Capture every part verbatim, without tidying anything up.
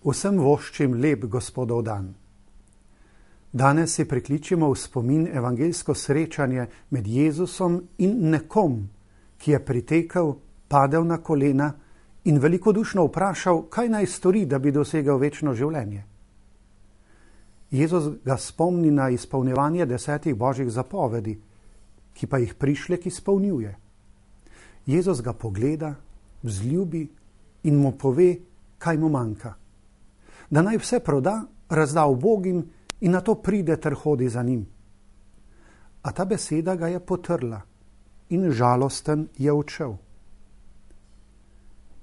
Vsem voščim lep Gospodov dan. Danes si prikličimo v spomin evangeljsko srečanje med Jezusom in nekom, ki je pritekel, padel na kolena in velikodušno vprašal, kaj naj stori, da bi dosegel večno življenje. Jezus ga spomni na izpolnjevanje desetih božjih zapovedi, ki pa jih prišlek izpolnjuje. Jezus ga pogleda, vzljubi in mu pove, kaj mu manjka. Da naj vse proda, razda ubogim in na to pride ter hodi za njim. A ta beseda ga je potrla in žalosten je odšel.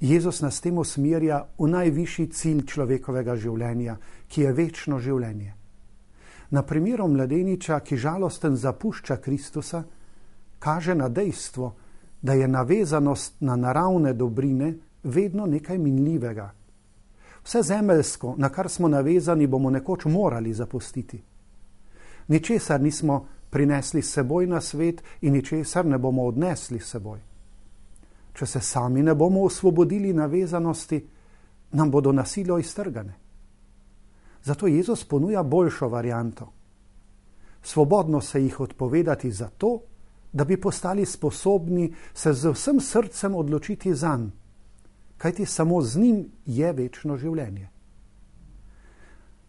Jezus nas tem usmerja v najvišji cilj človekovega življenja, ki je večno življenje. Na primeru mladeniča, ki žalosten zapušča Kristusa, kaže na dejstvo, da je navezanost na naravne dobrine vedno nekaj minljivega. Vse zemeljsko, na kar smo navezani, bomo nekoč morali zapustiti. Ničesar nismo prinesli s seboj na svet in ničesar ne bomo odnesli s seboj. Če se sami ne bomo osvobodili navezanosti, nam bodo na silo iztrgane. Zato Jezus ponuja boljšo varianto. Svobodno se jih odpovedati zato, da bi postali sposobni se z vsem srcem odločiti zanj, kajti samo z njim je večno življenje.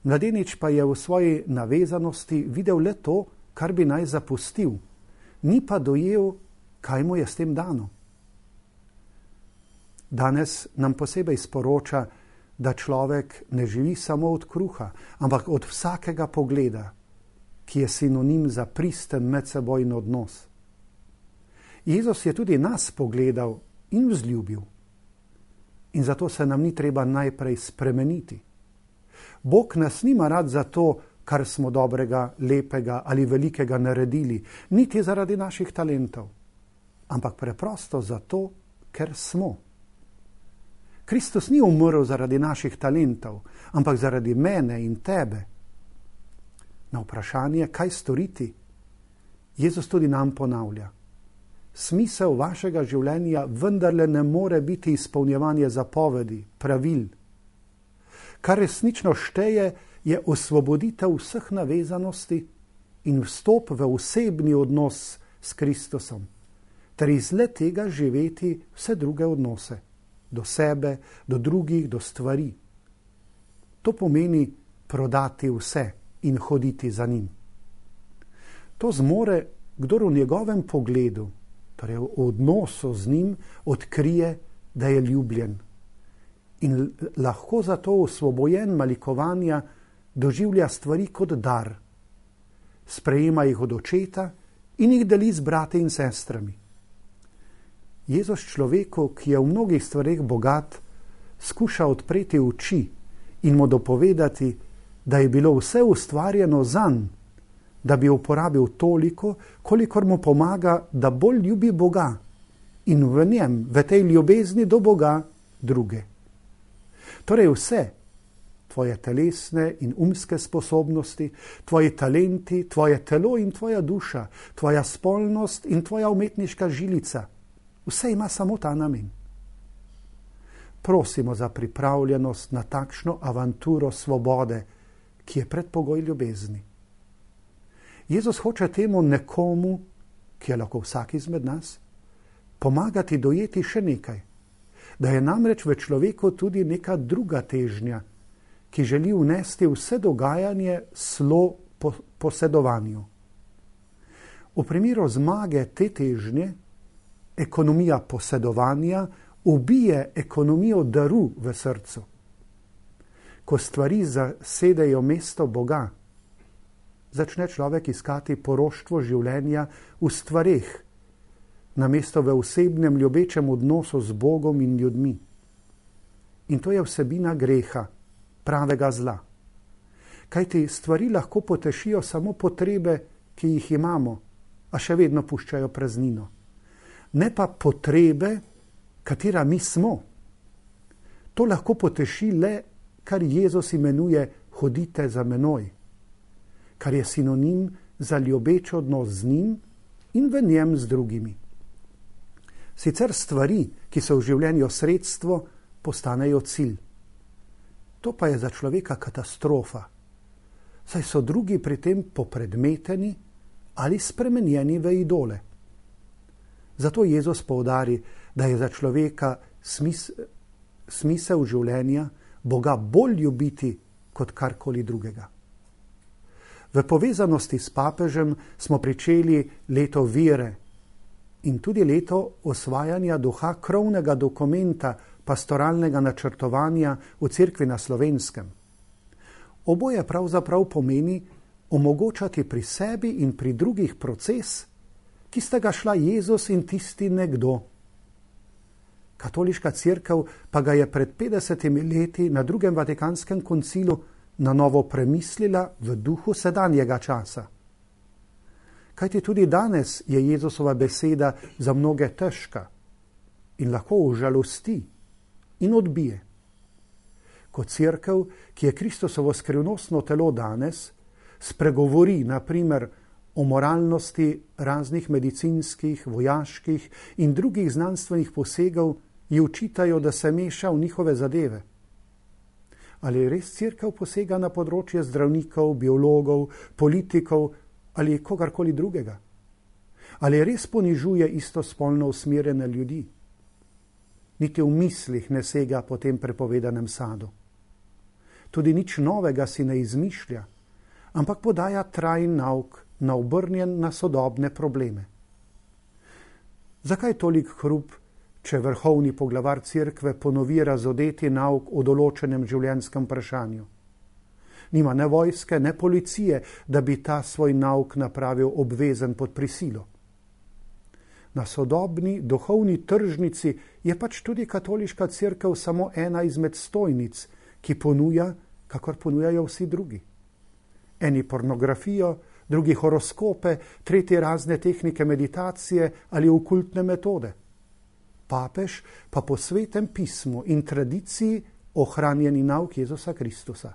Mladenič pa je v svoji navezanosti videl le to, kar bi naj zapustil, ni pa dojel, kaj mu je s tem dano. Danes nam posebej sporoča, da človek ne živi samo od kruha, ampak od vsakega pogleda, ki je sinonim za pristen medsebojni odnos. Jezus je tudi nas pogledal in vzljubil. In zato se nam ni treba najprej spremeniti. Bog nas nima rad za to, kar smo dobrega, lepega ali velikega naredili, niti zaradi naših talentov, ampak preprosto zato, ker smo. Kristus ni umrl zaradi naših talentov, ampak zaradi mene in tebe. Na vprašanje, kaj storiti, Jezus tudi nam ponavlja. Smisel vašega življenja vendarle ne more biti izpolnjevanje zapovedi, pravil. Kar resnično šteje, je osvoboditev vseh navezanosti in vstop v osebni odnos s Kristusom, ter iz le tega živeti vse druge odnose, do sebe, do drugih, do stvari. To pomeni prodati vse in hoditi za njim. To zmore, kdor v njegovem pogledu, torej v odnosu z njim, odkrije, da je ljubljen in lahko zato osvobojen malikovanja doživlja stvari kot dar. Sprejema jih od očeta in jih deli z brati in sestrami. Jezus človeku, ki je v mnogih stvareh bogat, skuša odpreti oči in mu dopovedati, da je bilo vse ustvarjeno zanj, da bi uporabil toliko, kolikor mu pomaga, da bolj ljubi Boga in v njem, v tej ljubezni do Boga, druge. Torej vse, tvoje telesne in umske sposobnosti, tvoji talenti, tvoje telo in tvoja duša, tvoja spolnost in tvoja umetniška žilica, vse ima samo ta namen. Prosimo za pripravljenost na takšno avanturo svobode, ki je predpogoj ljubezni. Jezus hoče temu nekomu, ki je lahko vsak izmed nas, pomagati dojeti še nekaj, da je namreč v človeku tudi neka druga težnja, ki želi vnesti vse dogajanje slo po posedovanju. V primeru zmage te težnje, ekonomija posedovanja ubije ekonomijo daru v srcu. Ko stvari zasedejo mesto Boga, začne človek iskati poroštvo življenja v stvareh, namesto v osebnem ljubečem odnosu z Bogom in ljudmi. In to je vsebina greha, pravega zla. Kajti stvari lahko potešijo samo potrebe, ki jih imamo, a še vedno puščajo praznino. Ne pa potrebe, katera mi smo. To lahko poteši le, kar Jezus imenuje hodite za menoj, kar je sinonim za ljubeč odnos z njim in v njem z drugimi. Sicer stvari, ki so v življenju sredstvo, postanejo cilj. To pa je za človeka katastrofa, saj so drugi pri tem popredmeteni ali spremenjeni v idole. Zato Jezus poudari, da je za človeka smis, smisel življenja Boga bolj ljubiti kot karkoli drugega. V povezanosti s papežem smo pričeli leto vere in tudi leto osvajanja duha krovnega dokumenta pastoralnega načrtovanja v Cerkvi na Slovenskem. Oboje pravzaprav pomeni omogočati pri sebi in pri drugih proces, ki sta ga šla Jezus in tisti nekdo. Katoliška cerkev pa ga je pred petdesetimi leti na drugem Vatikanskem koncilu na novo premislila v duhu sedanjega časa. Kajti tudi danes je Jezusova beseda za mnoge težka in lahko užalosti in odbije. Kot cerkev, ki je Kristusovo skrivnostno telo danes, spregovori na primer o moralnosti raznih medicinskih, vojaških in drugih znanstvenih posegov, ji učitajo, da se meša v njihove zadeve. Ali res cerkev posega na področje zdravnikov, biologov, politikov ali kogarkoli drugega? Ali res ponižuje istospolno usmerjene ljudi? Niti v mislih ne sega po tem prepovedanem sadu. Tudi nič novega si ne izmišlja, ampak podaja trajen nauk, naobrnjen na sodobne probleme. Zakaj tolik hrup, če vrhovni poglavar cerkve ponovi razodeti nauk o določenem življenjskem vprašanju? Nima ne vojske, ne policije, da bi ta svoj nauk napravil obvezen pod prisilo. Na sodobni duhovni tržnici je pač tudi katoliška cerkev samo ena izmed stojnic, ki ponuja, kakor ponujajo vsi drugi. Eni pornografijo, drugi horoskope, tretji razne tehnike meditacije ali okultne metode. Papež pa po svetem pismu in tradiciji ohranjeni nauk Jezusa Kristusa.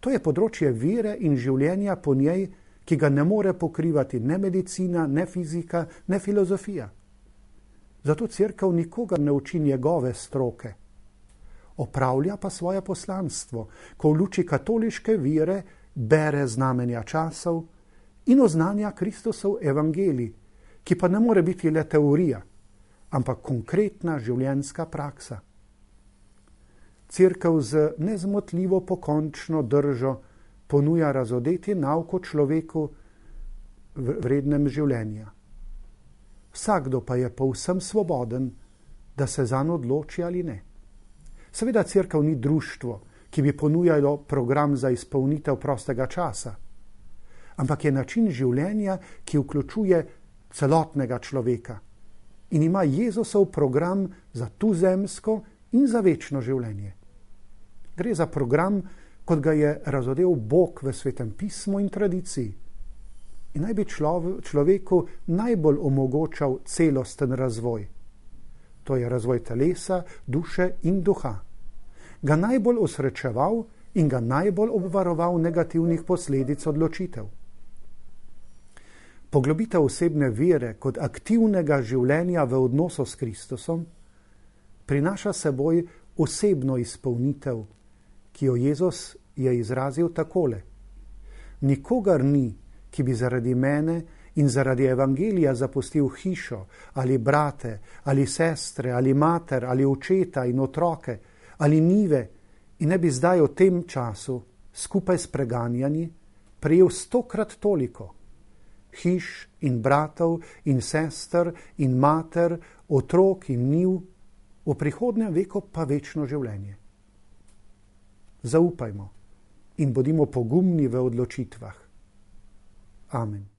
To je področje vere in življenja po njej, ki ga ne more pokrivati ne medicina, ne fizika, ne filozofija. Zato cerkev nikogar ne uči njegove stroke. Opravlja pa svoje poslanstvo, ko v luči katoliške vere bere znamenja časov in oznanja Kristusov evangelij, ki pa ne more biti le teorija, ampak konkretna življenjska praksa. Cerkev z nezmotljivo pokončno držo ponuja razodeti nauk o človeku vrednem življenja. Vsakdo pa je povsem svoboden, da se zanj odloči ali ne. Seveda cerkev ni društvo, ki bi ponujalo program za izpolnitev prostega časa, ampak je način življenja, ki vključuje celotnega človeka in ima Jezusov program za tuzemsko in za večno življenje. Gre za program, kot ga je razodel Bog v svetem pismu in tradiciji. In naj bi človeku najbolj omogočal celosten razvoj. To je razvoj telesa, duše in duha. Ga najbolj osrečeval in ga najbolj obvaroval negativnih posledic odločitev. Poglobitev osebne vere kot aktivnega življenja v odnosu s Kristusom prinaša seboj osebno izpolnitev, ki jo Jezus je izrazil takole: Nikogar ni, ki bi zaradi mene in zaradi evangelija zapustil hišo, ali brate, ali sestre, ali mater, ali očeta in otroke, ali njive, in ne bi zdaj v tem času, skupaj s preganjanji, prejel stokrat toliko hiš in bratov in sester in mater, otrok in njiv, v prihodnjem veku pa večno življenje. Zaupajmo in bodimo pogumni v odločitvah. Amen.